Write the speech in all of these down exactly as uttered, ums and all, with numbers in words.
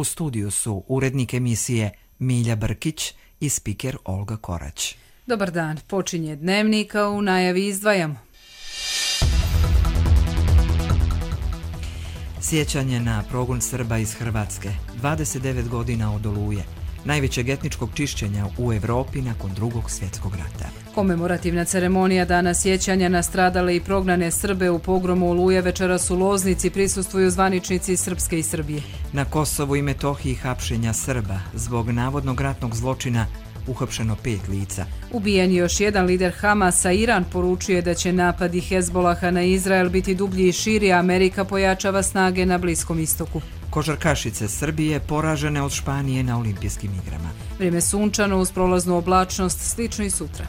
studiju su urednik emisije Milja Brkić i spiker Olga Korać. Dobar dan, počinje Dnevnik, a u najavi izdvajamo. Sjećanje na progon Srba iz Hrvatske, dvadeset devet godina od Oluje, najvećeg etničkog čišćenja u Evropi nakon drugog svjetskog rata. Komemorativna ceremonija dana sjećanja na stradale i prognane Srbe u pogromu Oluje večeras u Loznici prisustvuju zvaničnici Srpske i Srbije. Na Kosovu i Metohiji hapšenja Srba zbog navodnog ratnog zločina uhapšeno pet lica. Ubijen je još jedan lider Hamasa. Iran poručuje da će napadi Hezbolaha na Izrael biti dublji i širi, a Amerika pojačava snage na Bliskom istoku. Košarkašice Srbije poražene od Španije na olimpijskim igrama. Vrijeme sunčano uz prolaznu oblačnost, slično i sutra.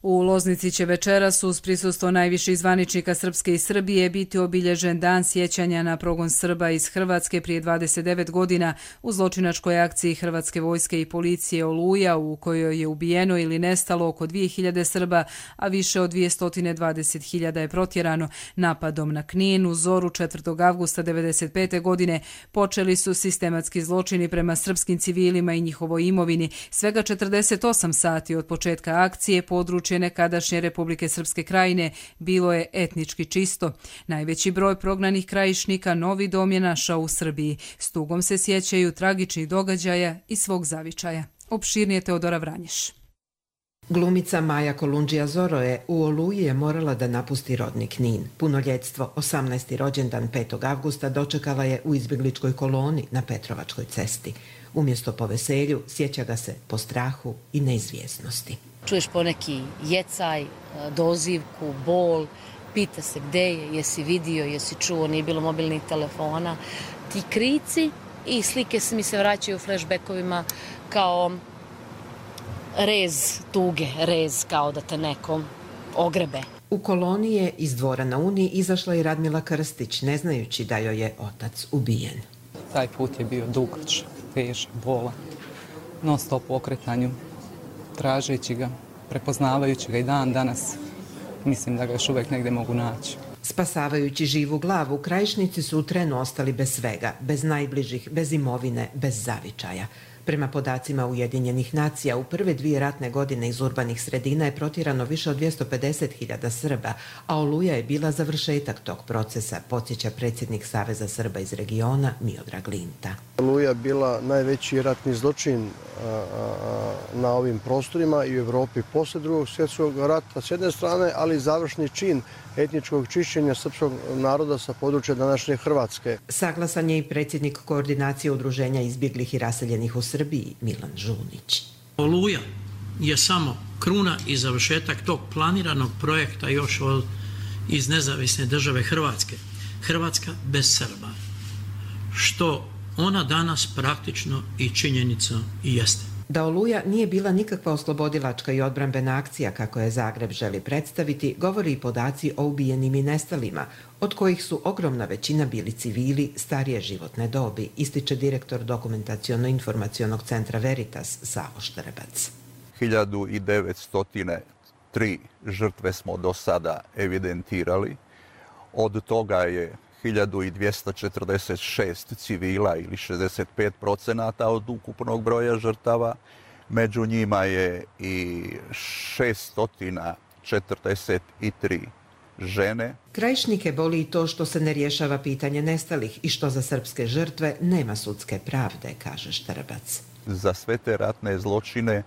U Loznici će večeras uz prisustvo najviših zvaničnika Srpske i Srbije biti obilježen dan sjećanja na progon Srba iz Hrvatske prije dvadeset devet godina u zločinačkoj akciji Hrvatske vojske i policije Oluja, u kojoj je ubijeno ili nestalo oko dvije hiljade Srba, a više od dvjesto dvadeset hiljada je protjerano. Napadom na Knin u zoru četvrtog avgusta devedeset pete godine počeli su sistematski zločini prema srpskim civilima i njihovoj imovini. Svega četrdeset osam sati od početka akcije područje nekadašnje Republike Srpske krajine bilo je etnički čisto. Najveći broj prognanih krajišnika novi dom je našao u Srbiji. S tugom se sjećaju tragičnih događaja i svog zavičaja. Opširnije Teodora Vranješ. Glumica Maja Kolundžija-Zoro je u Oluji je morala da napusti rodni Knin. Punoljetstvo, osamnaesti rođendan petog avgusta dočekala je u izbjegličkoj koloni na Petrovačkoj cesti. Umjesto po veselju, sjeća ga se po strahu i neizvjesnosti. Čuješ poneki jecaj, dozivku, bol, pita se gde je, jesi vidio, jesi čuo, nije bilo mobilnih telefona. Ti krici i slike mi se vraćaju u flashbackovima kao rez tuge, rez kao da te neko ogrebe. U koloni je iz dvora na Uni izašla i Radmila Krstić, ne znajući da joj je otac ubijen. Taj put je bio dugač, težak, bolan, non stop u okretanju, tražeći ga, prepoznavajući ga i dan danas. Mislim da ga još uvijek negdje mogu naći. Spasavajući živu glavu, krajišnici su u trenu ostali bez svega, bez najbližih, bez imovine, bez zavičaja. Prema podacima Ujedinjenih nacija, u prve dvije ratne godine iz urbanih sredina je protjerano više od dvjesto pedeset hiljada Srba, a Oluja je bila završetak tog procesa, podsjeća predsjednik Saveza Srba iz regiona Miodrag Linta. Oluja je bila najveći ratni zločin a, a, na ovim prostorima i u Evropi posle drugog svjetskog rata s jedne strane, ali završni čin etničkog čišćenja srpskog naroda sa područja današnje Hrvatske. Saglasan je i predsjednik koordinacije udruženja izbjeglih i raseljenih u Srbiji, Milan Žunić. Oluja je samo kruna i završetak tog planiranog projekta još od, iz nezavisne države Hrvatske. Hrvatska bez Srba. Što ona danas praktično i činjenica i jeste. Da Oluja nije bila nikakva oslobodilačka i odbrambena akcija, kako je Zagreb želi predstaviti, govori i podaci o ubijenim i nestalima, od kojih su ogromna većina bili civili starije životne dobi, ističe direktor Dokumentaciono-informacionog centra Veritas Savo Štrbac. hiljadu devetsto tri žrtve smo do sada evidentirali. Od toga je hiljadu dvjesto četrdeset šest civila ili šezdeset pet procenata od ukupnog broja žrtava. Među njima je i šesto četrdeset tri žene. Krajišnike boli i to što se ne rješava pitanje nestalih i što za srpske žrtve nema sudske pravde, kaže Štrbac. Za sve te ratne zločine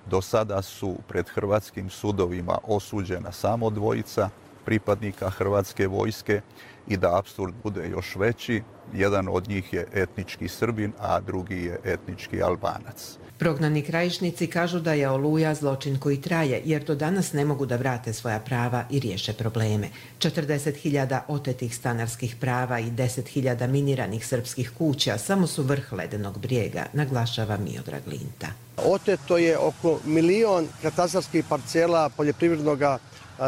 do sada su pred hrvatskim sudovima osuđena samo dvojica pripadnika Hrvatske vojske i da apsurd bude još veći, jedan od njih je etnički Srbin, a drugi je etnički Albanac. Prognani krajišnici kažu da je Oluja zločin koji traje, jer do danas ne mogu da vrate svoja prava i riješe probleme. četrdeset hiljada otetih stanarskih prava i deset hiljada miniranih srpskih kuća samo su vrh ledenog brijega, naglašava Miodrag Linta. Oteto je oko milion katastarskih parcela poljoprivrednog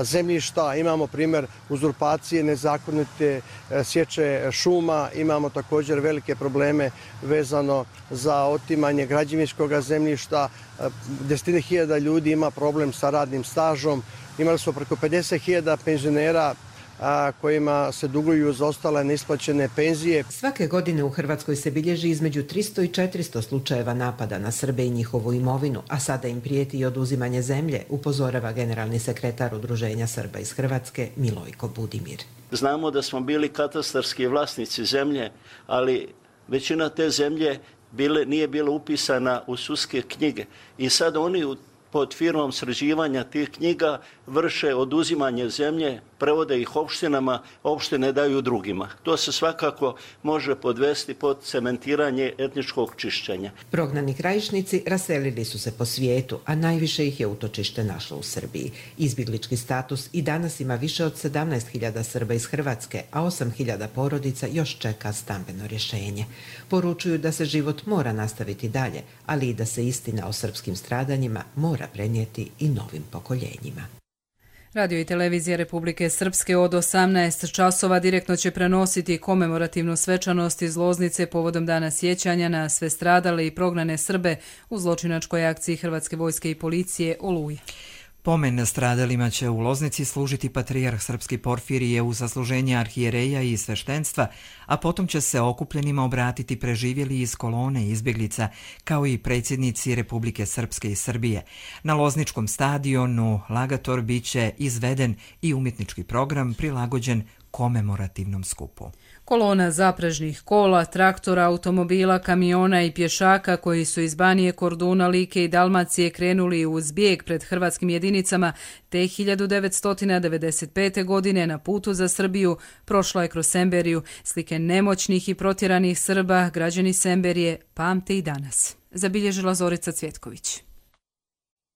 zemljišta, imamo primjer uzurpacije, nezakonite sječe šuma, imamo također velike probleme vezano za otimanje građevinskog zemljišta, desetine hiljada ljudi ima problem sa radnim stažom, imali smo preko pedeset hiljada penzionera a, kojima se duguju zaostale neisplaćene penzije. Svake godine u Hrvatskoj se bilježi između tristo i četiristo slučajeva napada na Srbe i njihovu imovinu, a sada im prijeti i oduzimanje zemlje, upozorava generalni sekretar Udruženja Srba iz Hrvatske Milojko Budimir. Znamo da smo bili katastarski vlasnici zemlje, ali većina te zemlje bile, nije bila upisana u sudske knjige i sad oni pod firmom sređivanja tih knjiga vrše oduzimanje zemlje, prevode ih opštinama, opštine daju drugima. To se svakako može podvesti pod cementiranje etničkog čišćenja. Prognani Krajišnici raselili su se po svijetu, a najviše ih je utočište našlo u Srbiji. Izbjeglički status i danas ima više od sedamnaest hiljada Srba iz Hrvatske, a osam hiljada porodica još čeka stambeno rješenje. Poručuju da se život mora nastaviti dalje, ali i da se istina o srpskim stradanjima mora prenijeti i novim pokoljenjima. Radio i televizija Republike Srpske od osamnaest časova direktno će prenositi komemorativnu svečanost iz Loznice povodom Dana sjećanja na sve stradale i prognane Srbe u zločinačkoj akciji Hrvatske vojske i policije Oluja. Pomen stradalima će u Loznici služiti patrijarh srpski Porfirije u zasluženje arhijereja i sveštenstva, a potom će se okupljenima obratiti preživjeli iz kolone izbjeglica, kao i predsjednici Republike Srpske i Srbije. Na Lozničkom stadionu Lagator biće izveden i umjetnički program prilagođen komemorativnom skupu. Kolona zaprežnih kola, traktora, automobila, kamiona i pješaka koji su iz Banije, Korduna, Like i Dalmacije krenuli u zbjeg pred hrvatskim jedinicama te hiljadu devetsto devedeset pete. godine na putu za Srbiju prošla je kroz Semberiju. Slike nemoćnih i protjeranih Srba građani Semberije pamte i danas. Zabilježila Zorica Cvjetković.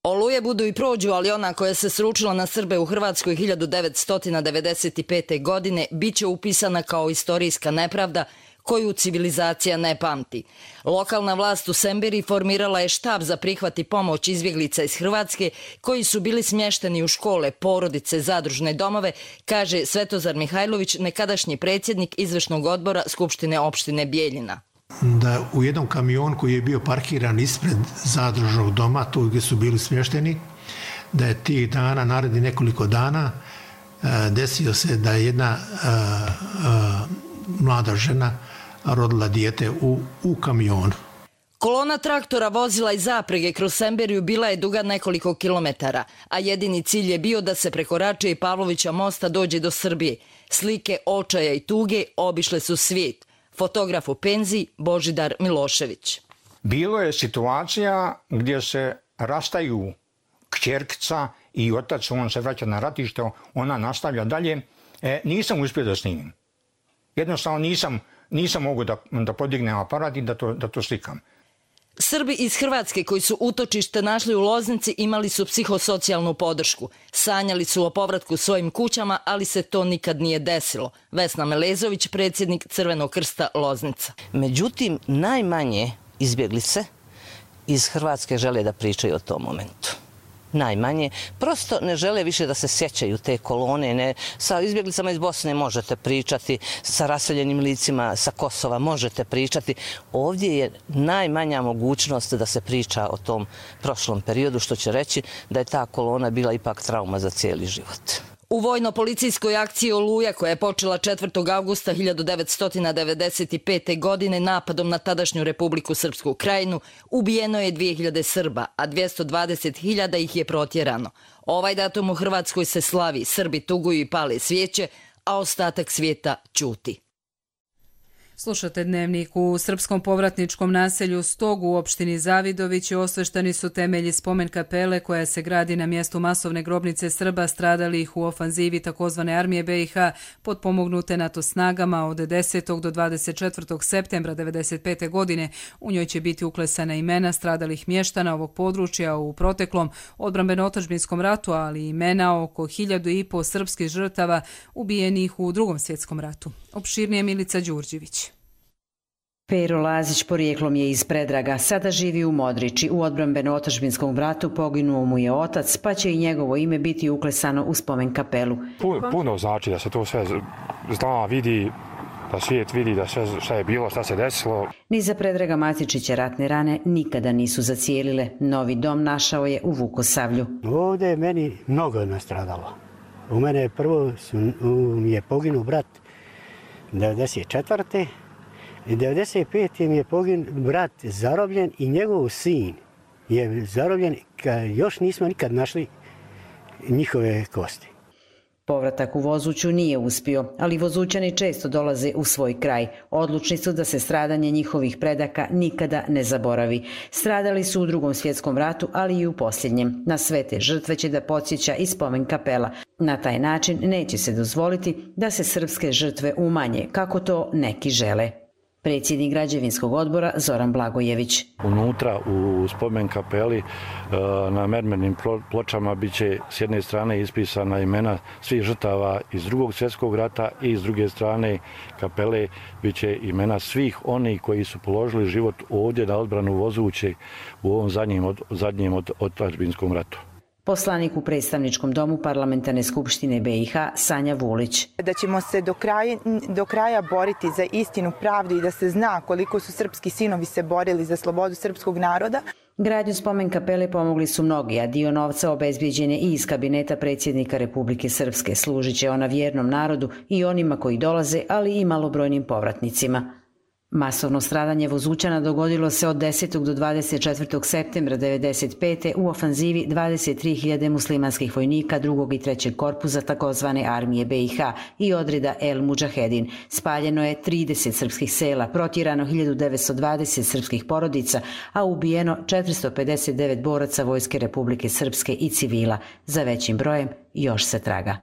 Oluje budu i prođu, ali ona koja se sručila na Srbe u Hrvatskoj hiljadu devetsto devedeset pete. godine biće upisana kao istorijska nepravda koju civilizacija ne pamti. Lokalna vlast u Semberiji formirala je štab za prihvat i pomoć izbjeglica iz Hrvatske koji su bili smješteni u škole, porodice, zadružne domove, kaže Svetozar Mihajlović, nekadašnji predsjednik izvršnog odbora Skupštine opštine Bijeljina. Da u jednom kamionu koji je bio parkiran ispred zadružnog doma, tu gdje su bili smješteni, da je tih dana, naredni nekoliko dana, desio se da je jedna a, a, mlada žena rodila dijete u, u kamionu. Kolona traktora vozila i zaprege kroz Semberiju bila je duga nekoliko kilometara, a jedini cilj je bio da se preko Rače i Pavlovića mosta dođe do Srbije. Slike očaja i tuge obišle su svijet. Fotograf u penziji Božidar Milošević. Bilo je situacija gdje se rastaju kćerkica i otac, on se vraća na ratište, ona nastavlja dalje. E, nisam uspio da snimim. Jednostavno nisam, nisam mogu da, da podignem aparat i da to, da to slikam. Srbi iz Hrvatske koji su utočište našli u Loznici imali su psihosocijalnu podršku. Sanjali su o povratku svojim kućama, ali se to nikad nije desilo. Vesna Melezović, predsjednik Crvenog krsta Loznica. Međutim, najmanje izbjeglice iz Hrvatske žele da pričaju o tom momentu. Najmanje. Prosto ne žele više da se sjećaju te kolone. Ne. Sa izbjeglicama iz Bosne možete pričati, sa raseljenim licima sa Kosova možete pričati. Ovdje je najmanja mogućnost da se priča o tom prošlom periodu, što će reći da je ta kolona bila ipak trauma za cijeli život. U vojno-policijskoj akciji Oluja, koja je počela četvrtog avgusta hiljadu devetsto devedeset pete. godine napadom na tadašnju Republiku Srpsku Krajinu, ubijeno je dvije hiljade Srba, a dvjesto dvadeset hiljada ih je protjerano. Ovaj datum u Hrvatskoj se slavi, Srbi tuguju i pale svijeće, a ostatak svijeta ćuti. Slušate Dnevnik. U srpskom povratničkom naselju Stog u opštini Zavidovići osvešteni su temelji spomen kapele koja se gradi na mjestu masovne grobnice Srba stradalih u ofanzivi takozvane armije B i H potpomognute NATO snagama od desetog do dvadeset četvrtog septembra devedeset pete. godine. U njoj će biti uklesana imena stradalih mještana ovog područja u proteklom odbrambeno-otadžbinskom ratu, ali i imena oko hiljadu i po srpskih žrtava ubijenih u Drugom svjetskom ratu. Opširnije Milica Đurđević. Pero Lazić porijeklom je iz Predraga, sada živi u Modriči. U odbrambeno-otadžbinskom ratu poginuo mu je otac, pa će i njegovo ime biti uklesano u spomen kapelu. Puno znači da se to sve zna, vidi, da svijet vidi da sve šta je bilo, šta se desilo. Ni za Predraga Matičića ratne rane nikada nisu zacijelile. Novi dom našao je u Vukosavlju. Ovdje je meni mnogo nastradalo. U mene prvo su, mi je poginuo brat devedeset četvrte i devedeset pete mi je poginuo brat zarobljen i njegov sin je zarobljen, još nismo nikad našli njihove kosti. Povratak u Vozuću nije uspio, ali Vozućani često dolaze u svoj kraj. Odlučni su da se stradanje njihovih predaka nikada ne zaboravi. Stradali su u Drugom svjetskom ratu, ali i u posljednjem. Na sve te žrtve će da podsjeća i spomen kapela. Na taj način neće se dozvoliti da se srpske žrtve umanje, kako to neki žele. Predsjednik građevinskog odbora Zoran Blagojević. Unutra u spomen kapeli na mermernim pločama biće s jedne strane ispisana imena svih žrtava iz Drugog svjetskog rata i s druge strane kapele biće imena svih onih koji su položili život ovdje na odbranu Vozuće u ovom zadnjem, zadnjem otadžbinskom ratu. Poslanik u predstavničkom domu Parlamentarne skupštine B i H Sanja Vulić. Da ćemo se do kraja, do kraja boriti za istinu, pravdu i da se zna koliko su srpski sinovi se borili za slobodu srpskog naroda. Gradnju spomen kapele pomogli su mnogi, a dio novca obezbijeđen je i iz kabineta predsjednika Republike Srpske. Služit će ona vjernom narodu i onima koji dolaze, ali i malobrojnim povratnicima. Masovno stradanje Vozućana dogodilo se od desetog do dvadeset četvrtog septembra devedeset pete u ofanzivi dvadeset tri hiljade muslimanskih vojnika drugog i trećeg korpusa takozvane armije B i H i odreda El Mudžahedin. Spaljeno je trideset srpskih sela, protjerano hiljadu devetsto dvadeset srpskih porodica, a ubijeno četiristo pedeset devet boraca Vojske Republike Srpske i civila. Za većim brojem još se traga.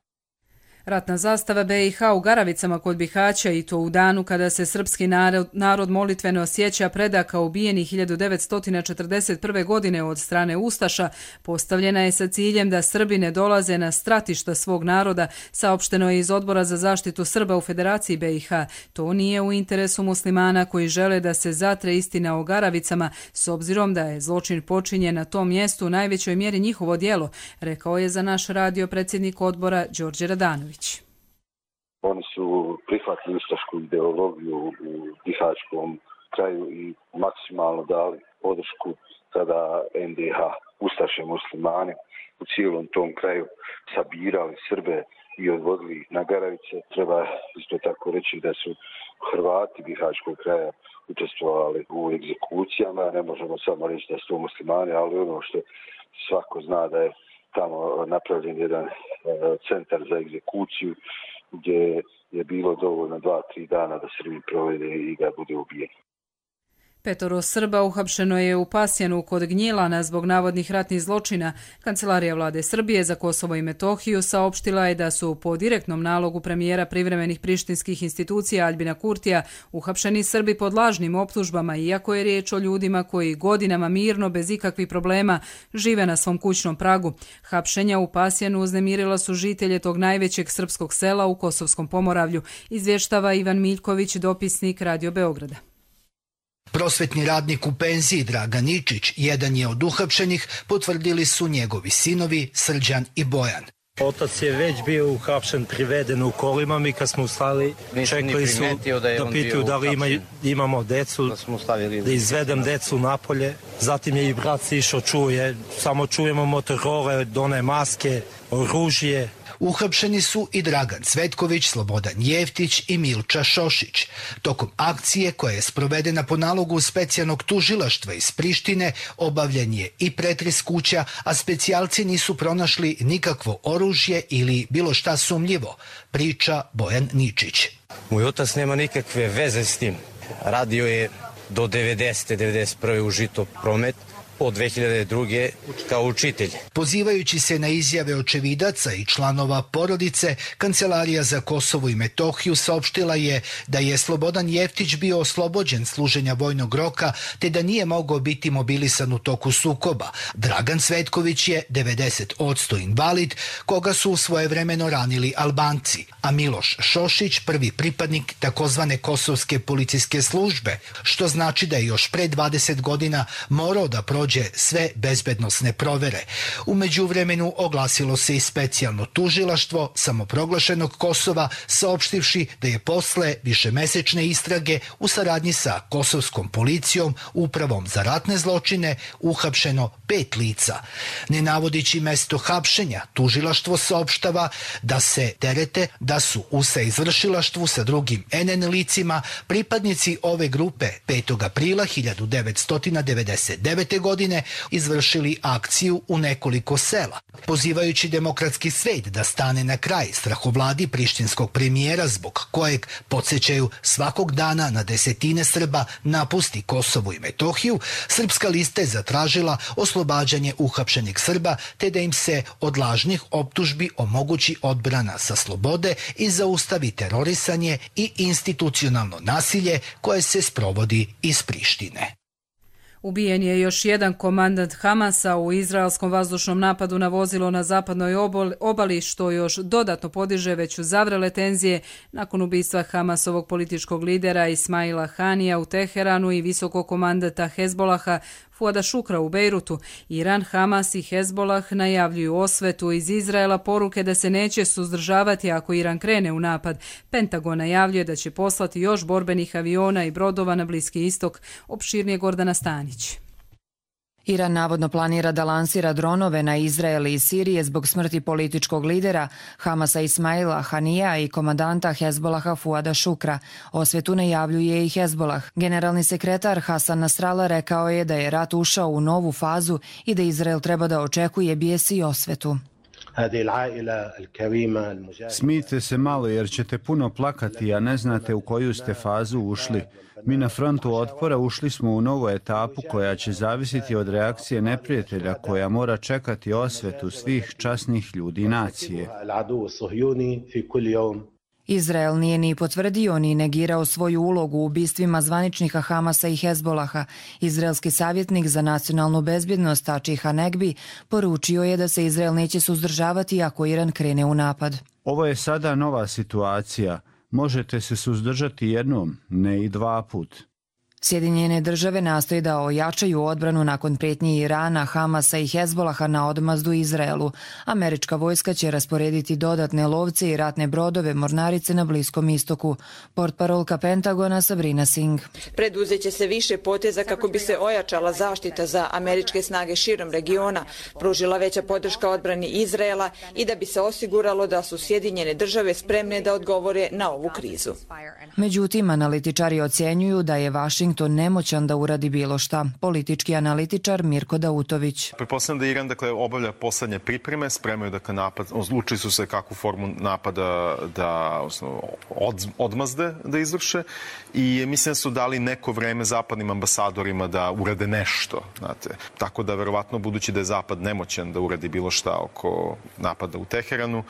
Ratna zastava B i H u Garavicama kod Bihaća i to u danu kada se srpski narod, narod molitveno sjeća predaka ubijenih hiljadu devetsto četrdeset prve. godine od strane Ustaša, postavljena je sa ciljem da Srbi ne dolaze na stratišta svog naroda, saopšteno je iz Odbora za zaštitu Srba u Federaciji B i H. To nije u interesu muslimana koji žele da se zatre istina o Garavicama, s obzirom da je zločin počinjen na tom mjestu u najvećoj mjeri njihovo djelo, rekao je za naš radio predsjednik odbora Đorđe Radanović. Oni su prihvatili ustašku ideologiju u bihaćkom kraju i maksimalno dali podršku tada N D H. Ustaše muslimani u cijelom tom kraju sabirali Srbe i odvodili ih na Garavice. Treba isto tako reći da su Hrvati bihaćkog kraja učestvovali u egzekucijama. Ne možemo samo reći da su to muslimani, ali ono što svako zna da je tamo napravljen jedan centar za egzekuciju gdje je bilo dovoljno dva, tri dana da Srbi provede i da bude ubijen. Petoro Srba uhapšeno je u Pasjanu kod Gnjilana zbog navodnih ratnih zločina. Kancelarija vlade Srbije za Kosovo i Metohiju saopštila je da su po direktnom nalogu premijera privremenih prištinskih institucija Aljbina Kurtija uhapšeni Srbi pod lažnim optužbama, iako je riječ o ljudima koji godinama mirno, bez ikakvih problema, žive na svom kućnom pragu. Hapšenja u Pasjanu uznemirila su žitelje tog najvećeg srpskog sela u Kosovskom Pomoravlju, izvještava Ivan Miljković, dopisnik Radio Beograda. Prosvetni radnik u penziji Dragan Ničić, jedan je od uhapšenih, potvrdili su njegovi sinovi Srđan i Bojan. Otac je već bio uhapšen, priveden u kolima, mi kad smo ustali, čekali su da, da pitaju da li ima, imamo decu, da, da izvedem decu napolje. Zatim je i brat išao, čuje, samo čujemo motorole, done maske, oružje. Uhapšeni su i Dragan Cvetković, Slobodan Jeftić i Milča Šošić. Tokom akcije koja je sprovedena po nalogu specijalnog tužilaštva iz Prištine, obavljen je i pretres kuća, a specijalci nisu pronašli nikakvo oružje ili bilo šta sumnjivo, priča Bojan Ničić. Moj otac nema nikakve veze s tim. Radio je do devedesete devedeset prve u Žito promet, od dve hiljade druge kao učitelj. Pozivajući se na izjave očevidaca i članova porodice, Kancelarija za Kosovo i Metohiju saopštila je da je Slobodan Jeftić bio oslobođen služenja vojnog roka, te da nije mogao biti mobilisan u toku sukoba. Dragan Cvetković je devedeset posto invalid, koga su svojevremeno ranili Albanci, a Miloš Šošić prvi pripadnik takozvane kosovske policijske službe, što znači da je još pre dvadeset godina morao da prođe prođe sve bezbednosne provere. U međuvremenu oglasilo se i specijalno tužilaštvo samoproglašenog Kosova, saopštivši da je posle višemesečne istrage u saradnji sa kosovskom policijom, upravom za ratne zločine, uhapšeno pet lica. Ne navodići mesto hapšenja, tužilaštvo saopštava da se terete da su u saizvršilaštvu sa drugim en en licima pripadnici ove grupe petog aprila hiljadu devetsto devedeset devete. godine izvršili akciju u nekoliko sela, pozivajući demokratski svet da stane na kraj strahovladi prištinskog premijera zbog kojeg, podsjećaju, svakog dana na desetine Srba napusti Kosovo i Metohiju. Srpska lista je zatražila oslobađanje uhapšenih Srba te da im se od lažnih optužbi omogući odbrana sa slobode i zaustavi terorisanje i institucionalno nasilje koje se sprovodi iz Prištine. Ubijen je još jedan komandant Hamasa u izraelskom vazdušnom napadu na vozilo na zapadnoj obali, što još dodatno podiže već zavrele tenzije nakon ubistva Hamasovog političkog lidera Ismaila Hanija u Teheranu i visokog komandanta Hezbolaha Fuada Šukra u Bejrutu. Iran, Hamas i Hezbolah najavljuju osvetu iz Izraela, poruke da se neće suzdržavati ako Iran krene u napad. Pentagon najavljuje da će poslati još borbenih aviona i brodova na Bliski istok. Opširnije Gordana Stanić. Iran navodno planira da lansira dronove na Izrael i Sirije zbog smrti političkog lidera Hamasa Ismaila Hanija i komandanta Hezbolaha Fuada Šukra. Osvetu najavljuje i Hezbolah. Generalni sekretar Hasan Nasrallah rekao je da je rat ušao u novu fazu i da Izrael treba da očekuje bijes i osvetu. Smijte se malo jer ćete puno plakati, a ne znate u koju ste fazu ušli. Mi na frontu otpora ušli smo u novu etapu koja će zavisiti od reakcije neprijatelja, koja mora čekati osvetu svih časnih ljudi nacije. Izrael nije ni potvrdio ni negirao svoju ulogu u ubistvima zvaničnika Hamasa i Hezbolaha. Izraelski savjetnik za nacionalnu bezbjednost Tači Hanegbi poručio je da se Izrael neće suzdržavati ako Iran krene u napad. Ovo je sada nova situacija. Možete se suzdržati jednom, ne i dva put. Sjedinjene države nastoje da ojačaju odbranu nakon prijetnji Irana, Hamasa i Hezbolaha na odmazdu Izraelu. Američka vojska će rasporediti dodatne lovce i ratne brodove mornarice na Bliskom istoku. Portparolka Pentagona Sabrina Singh. Preduzeće se više poteza kako bi se ojačala zaštita za američke snage širom regiona, pružila veća podrška odbrani Izraela i da bi se osiguralo da su Sjedinjene države spremne da odgovore na ovu krizu. Međutim, analitičari ocjenjuju da je Washington to nemoćan da uradi bilo šta. Politički analitičar Mirko Dautović. Pretpostavljam da Iran dakle, obavlja poslednje pripreme, spremaju dakle, napad, odlučili su se kakvu formu napada da od, odmazde da izvrše i mislim da su dali neko vreme zapadnim ambasadorima da urade nešto. Znate. Tako da verovatno budući da je Zapad nemoćan da uradi bilo šta oko napada u Teheranu,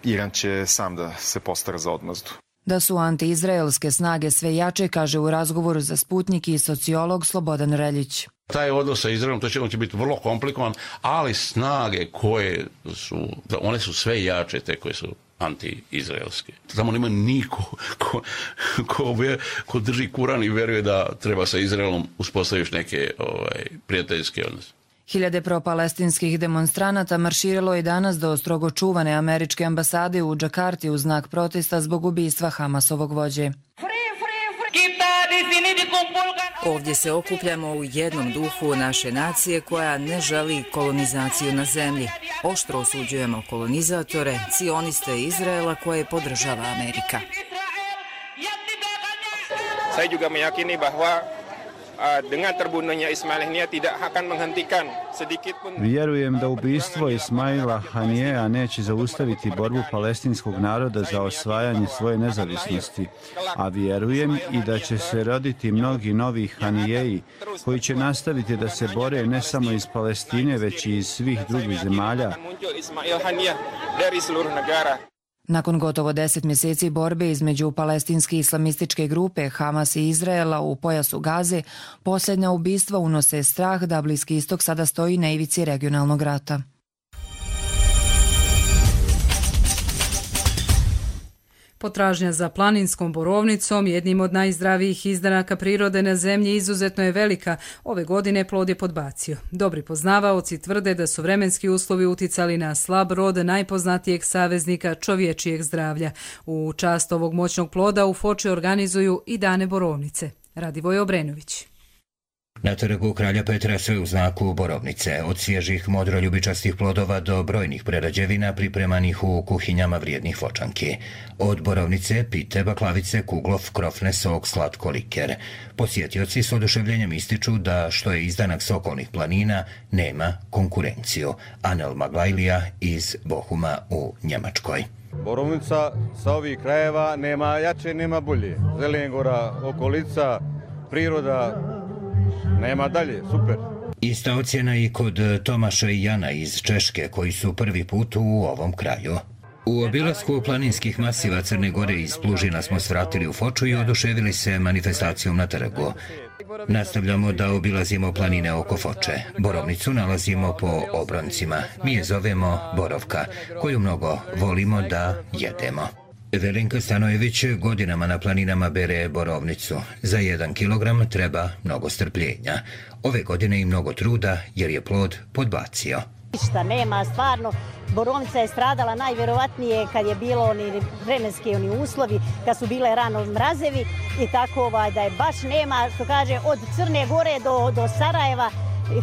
Iran će sam da se postara za odmazdu. Da su antiizraelske snage sve jače, kaže u razgovoru za Sputnik i sociolog Slobodan Reljić. Taj odnos sa Izraelom, to će, on će biti vrlo komplikovan, ali snage koje su, one su sve jače, te koje su anti-izraelske. Tamo nema niko ko, ko, ko drži Kuran i veruje da treba sa Izraelom uspostaviti neke ovaj, prijateljske odnose. Hiljade pro-palestinskih demonstranata marširalo je danas do strogo čuvane američke ambasade u Džakarti u znak protesta zbog ubistva Hamasovog vođe. Ovdje se okupljamo u jednom duhu naše nacije koja ne želi kolonizaciju na zemlji. Oštro osuđujemo kolonizatore, cioniste Izraela koje podržava Amerika. Saya juga meyakini bahwa dengan terbunuhnya Ismail Haniyeh tidak akan menghentikan sedikit pun. Vjerujem da ubistvo Ismaila Hanijeja neće zaustaviti borbu palestinskog naroda za osvajanje svoje nezavisnosti, a vjerujem i da će se roditi mnogi novi Hanijeji koji će nastaviti da se bore ne samo iz Palestine, već i iz svih drugih zemalja. Nakon gotovo deset mjeseci borbe između palestinske islamističke grupe Hamas i Izraela u pojasu Gaze, posljednja ubistva unose strah da Bliski istok sada stoji na ivici regionalnog rata. Potražnja za planinskom borovnicom, jednim od najzdravijih izdanaka prirode na zemlji, izuzetno je velika. Ove godine plod je podbacio. Dobri poznavaoci tvrde da su vremenski uslovi uticali na slab rod najpoznatijeg saveznika čovječijeg zdravlja. U čast ovog moćnog ploda u Foči organizuju i dane borovnice. Radivoj Obrenović. Na trgu Kralja Petra sve u znaku borovnice, od svježih modroljubičastih plodova do brojnih prerađevina pripremanih u kuhinjama vrijednih Fočanki. Od borovnice, pite, baklavice, kuglov, krofne, sok, slatko, liker. Posjetioci s oduševljenjem ističu da što je izdanak s okolnih planina, nema konkurenciju. Anel Maglajlija iz Bohuma u Njemačkoj. Borovnica sa ovih krajeva nema jače, nema bolje. Zelengora, okolica, priroda, nema dalje, super. Ista ocjena i kod Tomaša i Jana iz Češke, koji su prvi put u ovom kraju. U obilasku planinskih masiva Crne Gore iz Plužina smo svratili u Foču i oduševili se manifestacijom na trgu. Nastavljamo da obilazimo planine oko Foče. Borovnicu nalazimo po obroncima. Mi je zovemo Borovka, koju mnogo volimo da jedemo. Velinka Stanojević godinama na planinama bere borovnicu. Za jedan kilogram treba mnogo strpljenja. Ove godine i mnogo truda jer je plod podbacio. Ništa nema, stvarno. Borovnica je stradala najvjerovatnije kad je bilo oni vremenski oni uslovi, kad su bile rano mrazevi i tako ovaj, da je baš nema, što kaže, od Crne Gore do, do Sarajeva,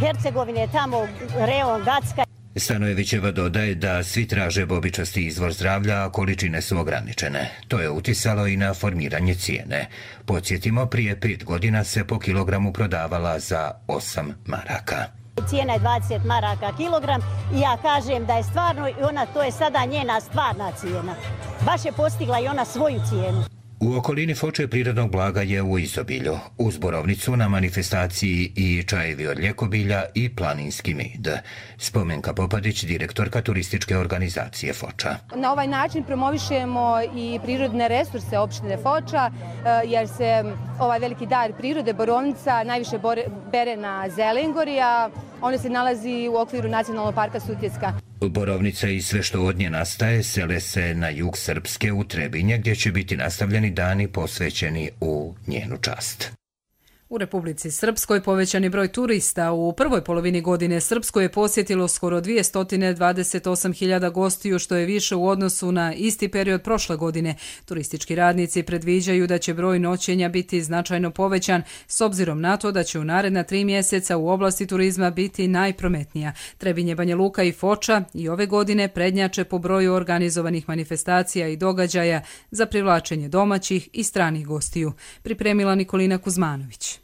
Hercegovine, tamo reon Gacka. Stanojevićeva dodaje da svi traže bobičasti izvor zdravlja, a količine su ograničene. To je uticalo i na formiranje cijene. Podsjetimo, prije pet godina se po kilogramu prodavala za osam maraka. Cijena je dvadeset maraka kilogram i ja kažem da je stvarno, i ona, to je sada njena stvarna cijena. Baš je postigla i ona svoju cijenu. U okolini Foče prirodnog blaga je u izobilju. Uz borovnicu na manifestaciji i čajevi od ljekobilja i planinski med. Spomenka Popadić, direktorka turističke organizacije Foča. Na ovaj način promovišemo i prirodne resurse opštine Foča, jer se ovaj veliki dar prirode, borovnica, najviše bere na Zelengori, a ono se nalazi u okviru Nacionalnog parka Sutjeska. Borovnica i sve što od nje nastaje sele se na jug Srpske u Trebinje, gdje će biti nastavljeni dani posvećeni u njenu čast. U Republici Srpskoj povećan je broj turista. U prvoj polovini godine Srpsko je posjetilo skoro dvjesto dvadeset osam hiljada gostiju, što je više u odnosu na isti period prošle godine. Turistički radnici predviđaju da će broj noćenja biti značajno povećan, s obzirom na to da će u naredna tri mjeseca u oblasti turizma biti najprometnija. Trebinje, Banja Luka i Foča i ove godine prednjače po broju organizovanih manifestacija i događaja za privlačenje domaćih i stranih gostiju. Pripremila Nikolina Kuzmanović.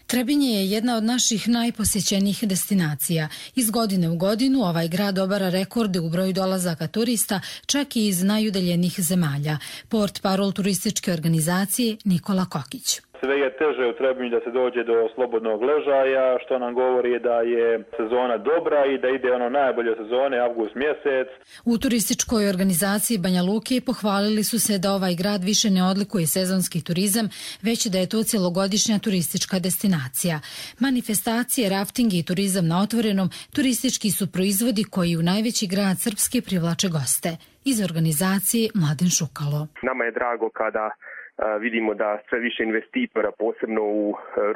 Trebinje je jedna od naših najposjećenijih destinacija. Iz godine u godinu ovaj grad obara rekorde u broju dolazaka turista, čak i iz najudaljenijih zemalja. Port parol turističke organizacije Nikola Kokić. Sve je teže u Trebinju da se dođe do slobodnog ležaja, što nam govori da je sezona dobra i da ide ono najbolje sezone, avgust mjesec. U turističkoj organizaciji Banja Luke pohvalili su se da ovaj grad više ne odlikuje sezonski turizam, već da je to cjelogodišnja turistička destinacija. Manifestacije, rafting i turizam na otvorenom turistički su proizvodi koji u najveći grad Srpske privlače goste. Iz organizacije Mladen Šukalo. Nama je drago kada vidimo da sve više investitora, posebno u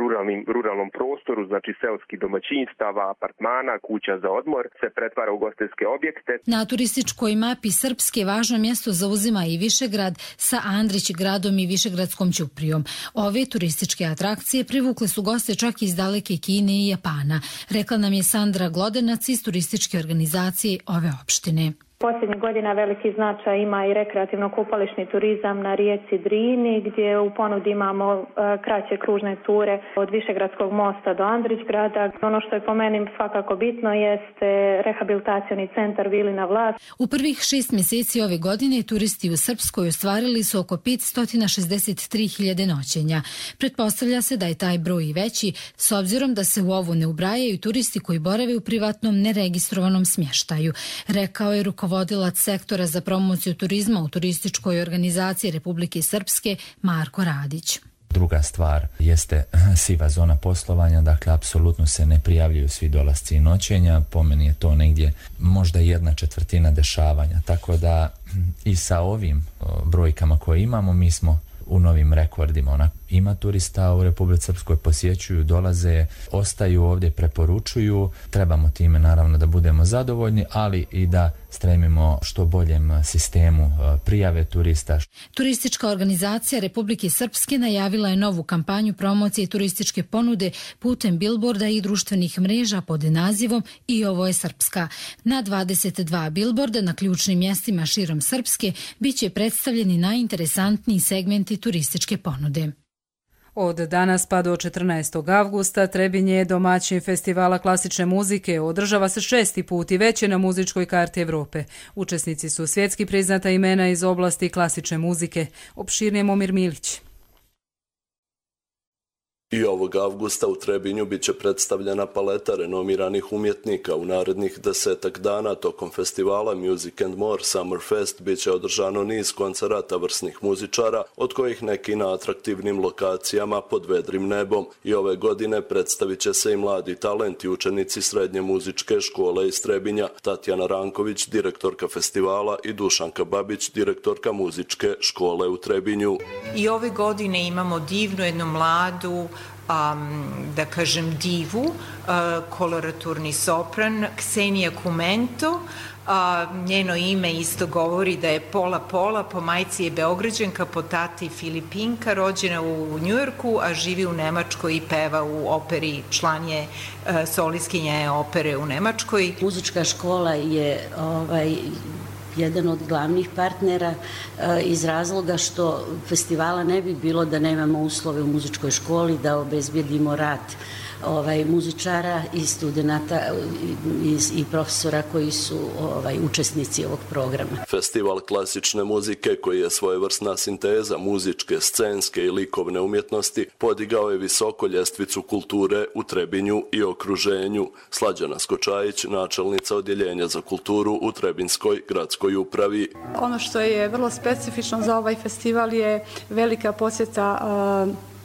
ruralnim, ruralnom prostoru, znači seoskih domaćinstava, apartmana, kuća za odmor, se pretvara u ugostiteljske objekte. Na turističkoj mapi Srpske važno mjesto zauzima i Višegrad sa Andrić gradom i Višegradskom ćuprijom. Ove turističke atrakcije privukle su goste čak iz daleke Kine i Japana, rekla nam je Sandra Glodenac iz turističke organizacije ove opštine. Posljednjih godina veliki značaj ima i rekreativno-kupališni turizam na rijeci Drini, gdje u ponudi imamo e, kraće kružne ture od Višegradskog mosta do Andrićgrada. Ono što je po meni svakako bitno jeste rehabilitacioni centar Vilina Vlas. U prvih šest mjeseci ove godine turisti u Srpskoj ostvarili su oko petsto šezdeset tri hiljade noćenja. Pretpostavlja se da je taj broj i veći, s obzirom da se u ovo ne ubrajaju turisti koji borave u privatnom neregistrovanom smještaju, rekao je rukovodilac Vodilac sektora za promociju turizma u turističkoj organizaciji Republike Srpske Marko Radić. Druga stvar jeste siva zona poslovanja, dakle apsolutno se ne prijavljuju svi dolasci i noćenja, po meni je to negdje možda jedna četvrtina dešavanja, tako da i sa ovim brojkama koje imamo mi smo u novim rekordima. Ona ima turista u Republici Srpskoj, posjećuju, dolaze, ostaju ovdje, preporučuju. Trebamo time naravno da budemo zadovoljni, ali i da stremimo što boljem sistemu prijave turista. Turistička organizacija Republike Srpske najavila je novu kampanju promocije turističke ponude putem bilborda i društvenih mreža pod nazivom I ovo je Srpska. Na dvadeset dva bilborda na ključnim mjestima širom Srpske biće predstavljeni najinteresantniji segmenti turističke ponude. Od danas pa do četrnaestog avgusta Trebinje je domaćin festivala klasične muzike. Održava se šesti put i već je na muzičkoj karti Evrope. Učesnici su svjetski priznata imena iz oblasti klasične muzike. Opširnije Momir Milić. I ovog avgusta u Trebinju biće predstavljena paleta renomiranih umjetnika. U narednih desetak dana tokom festivala Music and More Summer Fest biće održano niz koncerata vrsnih muzičara, od kojih neki na atraktivnim lokacijama pod vedrim nebom. I ove godine predstavit će se i mladi talenti, učenici srednje muzičke škole iz Trebinja, Tatjana Ranković, direktorka festivala, i Dušanka Babić, direktorka muzičke škole u Trebinju. I ove godine imamo divnu jednu mladu, Um, da kažem divu, uh, koloraturni sopran Ksenija Kumento. Uh, njeno ime isto govori da je pola-pola, po majci je Beograđanka, po tati Filipinka, rođena u Njujorku, a živi u Nemačkoj i peva u operi, član je uh, solistkinja opere u Nemačkoj. Muzička škola je ovaj, jedan od glavnih partnera e, iz razloga što festivala ne bi bilo da nemamo uslove u muzičkoj školi da obezbjedimo rad ovaj, muzičara i studenta i, i profesora koji su ovaj, učesnici ovog programa. Festival klasične muzike, koji je svojevrsna sinteza muzičke, scenske i likovne umjetnosti, podigao je visoko ljestvicu kulture u Trebinju i okruženju. Slađana Skočajić, načelnica odjeljenja za kulturu u Trebinskoj gradskoj upravi. Ono što je vrlo specifično za ovaj festival je velika posjeta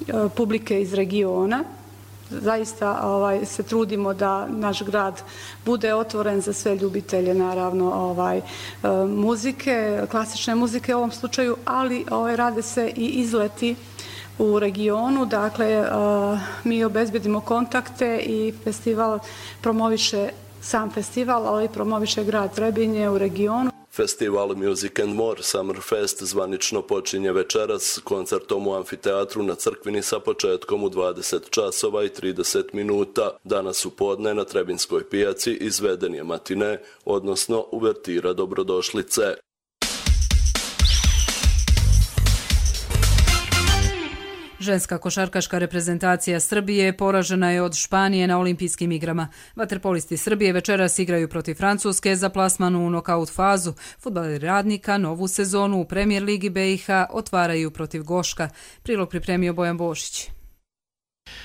uh, publike iz regiona. Zaista ovaj, se trudimo da naš grad bude otvoren za sve ljubitelje, naravno, ovaj, muzike, klasične muzike u ovom slučaju, ali ovaj, rade se i izleti u regionu. Dakle, mi obezbedimo kontakte i festival promoviše sam festival, ali i promoviše grad Trebinje u regionu. Festival Music and More Summer Fest zvanično počinje večeras koncertom u amfiteatru na Crkvini sa početkom u dvadeset časova i trideset minuta. Danas u podne na Trebinskoj pijaci izveden je matine, odnosno uvertira dobrodošlice. Ženska košarkaška reprezentacija Srbije poražena je od Španije na olimpijskim igrama. Vaterpolisti Srbije večeras igraju protiv Francuske za plasman u nokaut fazu. Fudbaleri Radnika novu sezonu u Premijer ligi B i H otvaraju protiv Goška. Prilog pripremio Bojan Bošić.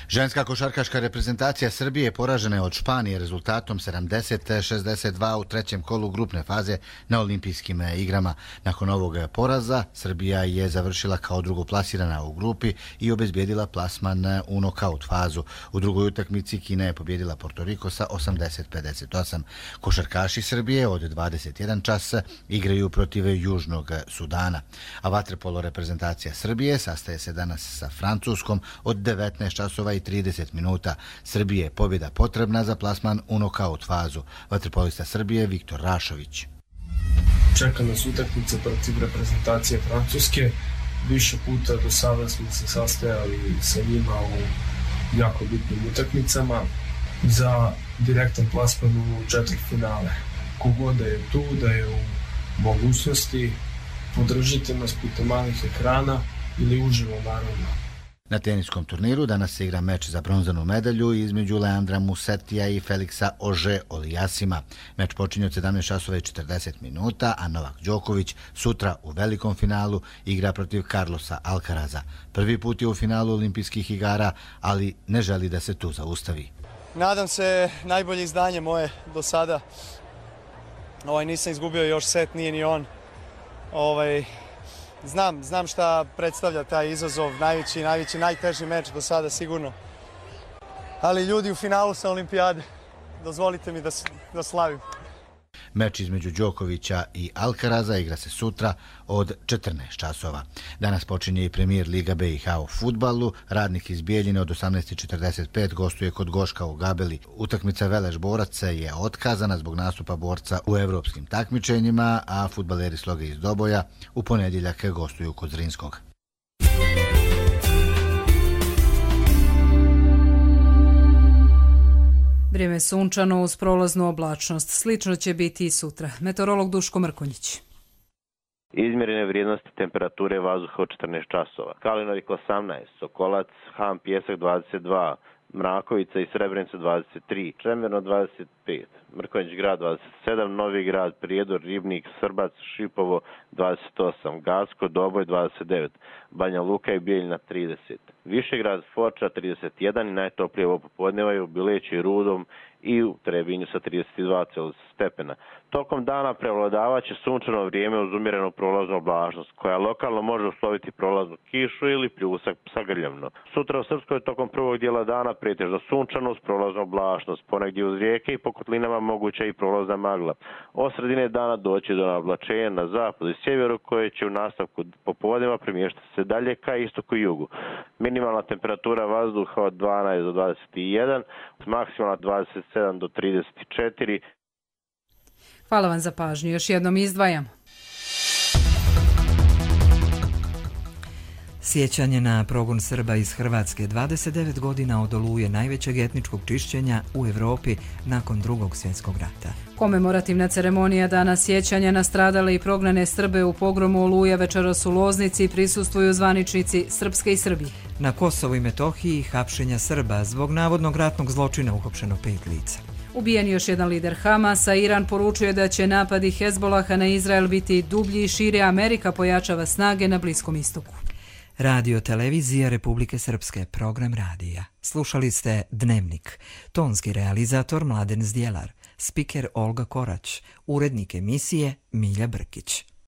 Ženska košarkaška reprezentacija Srbije poražena je od Španije rezultatom sedamdeset šezdeset dva u trećem kolu grupne faze na olimpijskim igrama. Nakon ovog poraza Srbija je završila kao drugoplasirana u grupi i obezbijedila plasman u nokaut fazu. U drugoj utakmici Kina je pobjedila Porto Riko sa osamdeset pedeset osam. Košarkaši Srbije od dvadeset jedan čas igraju protiv Južnog Sudana. A vaterpolo reprezentacija Srbije sastaje se danas sa Francuskom od devetnaest časova i trideset minuta. Srbije je pobjeda potrebna za plasman u nokaut fazu. Vaterpolista Srbije Viktor Rašović. Čeka nas utakmica protiv reprezentacije Francuske. Više puta do sada smo se sastajali sa njima u jako bitnim utakmicama za direktan plasman u četvrtfinale. Kogod da je tu, da je u mogućnosti, podržite nas putem malih ekrana ili uživo, naravno. Na teniskom turniru danas se igra meč za bronzanu medalju između Leandra Musetija i Feliksa Ože Olijasima. Meč počinje od sedamnaest časova i četrdeset minuta, a Novak Đoković sutra u velikom finalu igra protiv Carlosa Alcaraza. Prvi put je u finalu olimpijskih igara, ali ne želi da se tu zaustavi. Nadam se najbolje izdanje moje do sada. Ovaj, nisam izgubio još set, nije ni on. Ovaj, Znam, znam šta predstavlja taj izazov, najveći, najveći, najteži meč do sada sigurno. Ali ljudi u finalu sa olimpijade, dozvolite mi da, da slavim. Meč između Đokovića i Alcaraza igra se sutra od četrnaest časova. Danas počinje i premijer Liga B i H u fudbalu. Radnik iz Bijeljine od osamnaest četrdeset pet gostuje kod Goška u Gabeli. Utakmica Veleš Borac je otkazana zbog nastupa borca u evropskim takmičenjima, a fudbaleri Sloge iz Doboja u ponedjeljak gostuju kod Zrinskog. Vrijeme je sunčano uz prolaznu oblačnost. Slično će biti i sutra. Meteorolog Duško Mrkonjić. Izmjerene vrijednosti temperature vazduha od četrnaest časova. Kalinovik osamnaest, Sokolac, Ham, Pjesak dvadeset dva, Mrakovica i Srebrenica dvadeset tri, Čemerno dvadeset pet, Mrkonjić grad dvadeset sedam, Novi grad, Prijedor, Ribnik, Srbac, Šipovo dvadeset osam, Gacko, Doboj dvadeset devet, Banja Luka i Bijeljina trideset. Višegrad, Foča trideset jedan i najtoplije ovo popodneva je u Bileći i Rudom i u Trebinju sa trideset dva stepena. Tokom dana prevladavaće sunčano vrijeme uz umjerenu prolaznu oblačnost, koja lokalno može usloviti prolaznu kišu ili pljusak sa grljavno. Sutra u Srpskoj tokom prvog dijela dana pretežno sunčano uz prolaznu oblačnost, ponegdje uz rijeke i po kotlinama moguća i prolazna magla. Od sredine dana doći do oblačenja na zapadu i sjeveru, koje će u nastavku popodneva premještati se dalje ka istoku i jugu. Minimalna temperatura vazduha od dvanaest do dvadeset jedan, maksimalna dvadeset sedam do trideset četiri. Hvala vam za pažnju. Još jednom izdvajamo. Sjećanje na progon Srba iz Hrvatske dvadeset devet godina od oluje najvećeg etničkog čišćenja u Evropi nakon Drugog svjetskog rata. Komemorativna ceremonija Dana sjećanja na stradale i prognane Srbe u pogromu Oluja večeras u Loznici prisustvuju zvaničnici Srpske i Srbije. Na Kosovu i Metohiji hapšenja Srba zbog navodnog ratnog zločina uhapšeno pet lica. Ubijen još jedan lider Hamasa, Iran poručuje da će napadi Hezbolaha na Izrael biti dublji i šire, Amerika pojačava snage na Bliskom istoku. Radio Televizija Republike Srpske, program radija. Slušali ste Dnevnik. Tonski realizator Mladen Zdjelar, spiker Olga Korać, urednik emisije Milja Brkić.